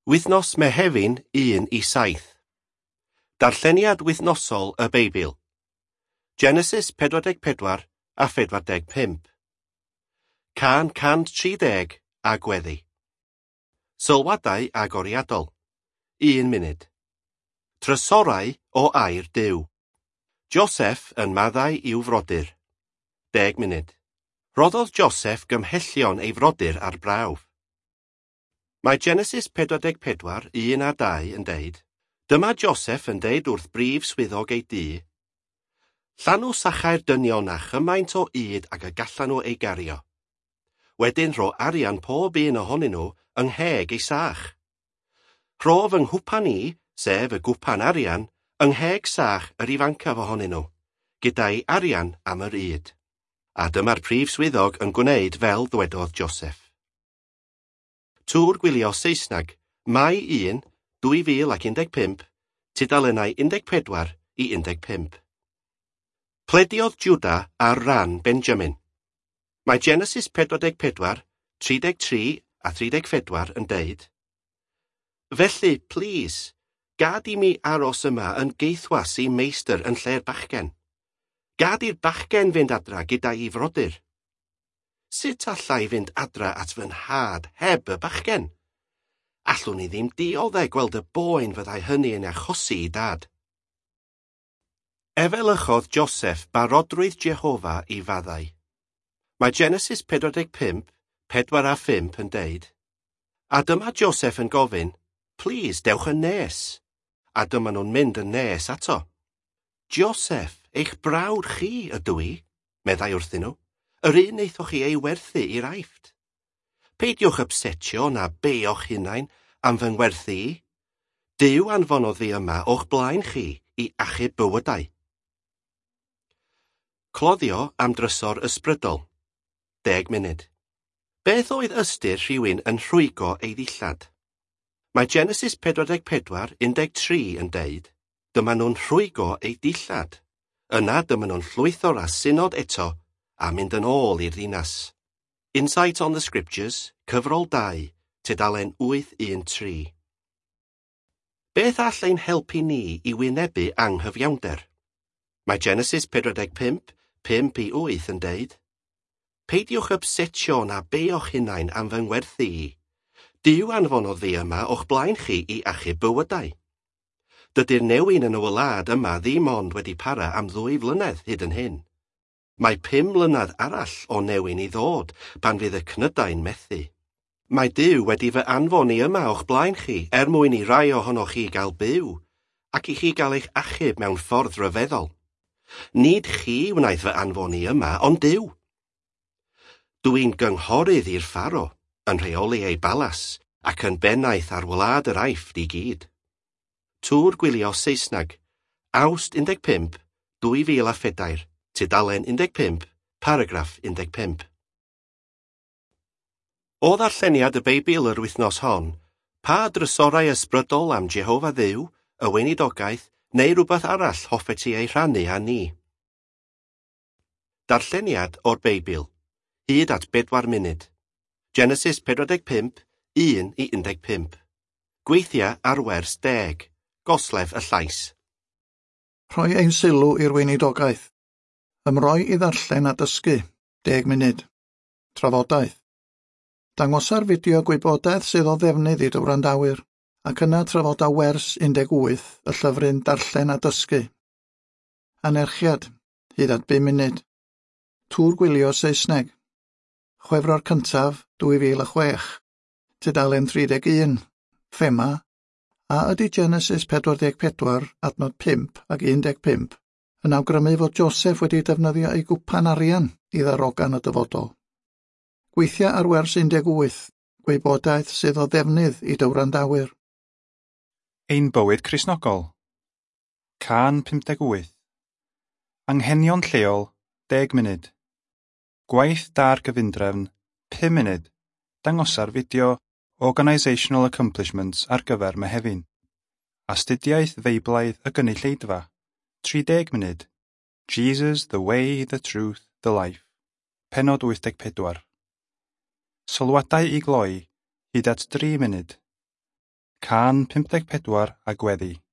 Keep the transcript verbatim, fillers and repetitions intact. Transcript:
Wythnos Mehefin un i saith. Darlleniad wythnosol y Beibl. Genesis pedwar deg pedwar a phedwar deg pump. Cân cant tri deg a gweddi. Sylwadau agoriadol. Un munud. Trysorau o air Duw. Joseph yn maddau i'w frodyr. Deg munud. Rhoddodd Joseph gymhellion ei frodyr ar brawf. Mae Genesis pedwar deg pedwar, un a dau yn deud, Dyma Joseph yn deud wrth brif swyddog ei dŷ, Llanw sachau'r dynion â chymaint o ŷd ag y gallan nhw ei gario. Wedyn rho arian pob un ohonyn nhw yng ngheg ei sach. Rho fy nghwpan i, sef y gwpan arian, yng ngheg sach yr ifancaf ohonyn nhw, gyda'i arian am yr ŷd. A dyma'r prif swyddog yn gwneud fel ddwedodd Joseph. Tŵr Gwylio Saesneg, Mai un, dwy fil ac un deg pump, tudalennau un deg pedwar i un deg pump. Plediodd Judah ar ran Benjamin. Mae Genesis pedwar deg pedwar, tri deg tri a thri deg phedwar yn deud, Felly, plîs, gad i mi aros yma yn geithwas i meistr yn lle'r bachgen. Gad i'r bachgen fynd adra gyda'i frodyr. Sut alla i fynd adra at fy nhad heb y bachgen? Allwn i ddim dioddef gweld y boen fyddai hynny yn achosi i dad. Efelychodd Joseph barodrwydd Jehofa i faddau. Mae Genesis pedwar deg pump, pedwar a phump yn deud, A dyma Joseph yn gofyn, Plîs, dewch yn nes. A dyma nhw'n mynd yn nes ato. Joseph, eich brawd chi ydw i, meddai wrthyn nhw, yr un wnaethoch chi ei werthu i'r Aifft. Peidiwch ypsetio na beio'ch hunain am fy ngwerthu i. Duw anfonodd fi yma o'ch blaen chi i achub bywydau. Cloddio am drysor ysbrydol. Deg munud. Beth oedd ystyr rhywun yn rhwygo ei ddillad? Mae Genesis pedwar deg pedwar, un deg tri yn deud, dyma nhw'n rhwygo ei dillad. Yna dyma nhw'n llwytho'r asynod eto a mynd yn ôl i'r ddinas. Insight on the Scriptures, cyfrol dau, tudalen wyth un tri. Beth all ein helpu ni i wynebu anghyfiawnder? Mae Genesis pedwar deg pump, pump i wyth yn deud, Peidiwch ypsetio na beio'ch hunain am fy ngwerthu i. Duw anfonodd fi yma o'ch blaen chi i achub bywydau. Dydy'r newyn yn y wlad yma ddim ond wedi para am ddwy flynedd hyd yn hyn. Mae pum mlynedd arall o newyn i ddod pan fydd y cnydau'n methu. Mae Duw wedi fy anfon i yma o'ch blaen chi er mwyn i rai ohonoch chi gael byw ac i chi gael eich achub mewn ffordd ryfeddol. Nid chi wnaeth fy anfon i yma, ond Duw. Dw i'n gynghorydd i'r Pharo, yn rheoli ei balas ac yn bennaeth ar wlad yr Aifft i gyd. Tŵr Gwylio Saesneg, Awst un deg pump, dwy fil a phedair, tudalen un deg pump, paragraff un deg pump. O ddarlleniad y Beibl yr wythnos hon, pa drysorau ysbrydol am Jehofa Dduw, y weinidogaeth, neu rhywbeth arall hoffet ti ei rhannu â ni? Darlleniad o'r Beibl, hyd at bedwar munud. Genesis pedwar deg pump, un i un deg pump. Gweithia ar wers deg, goslef y llais. Rhoi ein sylw i'r weinidogaeth. Ymroi i ddarllen a dysgu, deg munud. Trafodaeth. Dangosa'r fideo gwybodaeth sydd o ddefnydd i dy wrandawyr, ac yna trafoda wers un deg wyth y llyfryn Darllen a Dysgu. Anerchiad, hyd at bum munud. Tŵr Gwylio Saesneg. Chwefror cyntaf, dwy fil a chwech. Tudalen tri deg un. Thema, a ydy Genesis pedwar deg pedwar, adnod pump ac un deg pump, yn awgrymu fod Joseph wedi defnyddio ei gwpan arian i ddarogan y dyfodol. Gweithia ar wers un deg wyth, gwybodaeth sydd o ddefnydd i dy wrandawyr. Ein bywyd Cristnogol. Cân pump deg wyth. Anghenion lleol, deg munud. Gwaith da'r gyfundrefn, pum munud. Dangosa'r fideo Organisational Accomplishments ar gyfer Mehefin. Astudiaeth Feiblaidd y gynulleidfa, tri deg munud. Jesus, the way, the truth, the life. Pennod wyth deg pedwar. Sylwadau i gloi, hyd at dri munud. Cân pump deg pedwar a gweddi.